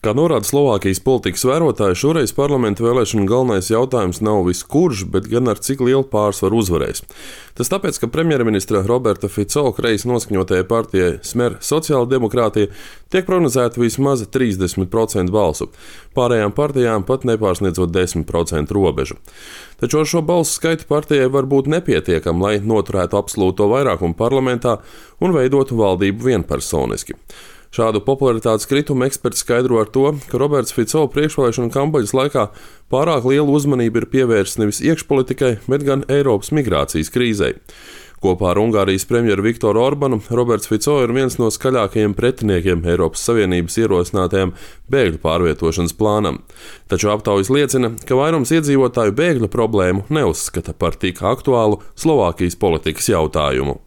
Kā norāda Slovākijas politikas vērotāji, šoreiz parlamenta vēlēšanu galvenais jautājums nav vis kurš, bet gan ar cik lielu pārsvaru uzvarēs. Tas tāpēc, ka premjerministra Roberta Fico kreisi noskaņotajai partijai Smer sociāldemokrātija tiek prognozēta vismaz 30% balsu, pārējām partijām pat nepārsniedzot 10% robežu. Taču ar šo balsu skaitu partijai var būt nepietiekam, lai noturētu absolūto vairākumu parlamentā un veidotu valdību vienpersoniski. Šādu popularitātes kritumu eksperti skaidro ar to, ka Roberts Fico priekšvēlēšanu kampaņas laikā pārāk lielu uzmanību ir pievērsis nevis iekšpolitikai, bet gan Eiropas migrācijas krīzei. Kopā ar Ungārijas premjeru Viktoru Orbanu Roberts Fico ir viens no skaļākajiem pretiniekiem Eiropas Savienības ierosinātajam bēgļu pārvietošanas plānam. Taču aptaujas liecina, ka vairums iedzīvotāju bēgļu problēmu neuzskata par tik aktuālu Slovākijas politikas jautājumu.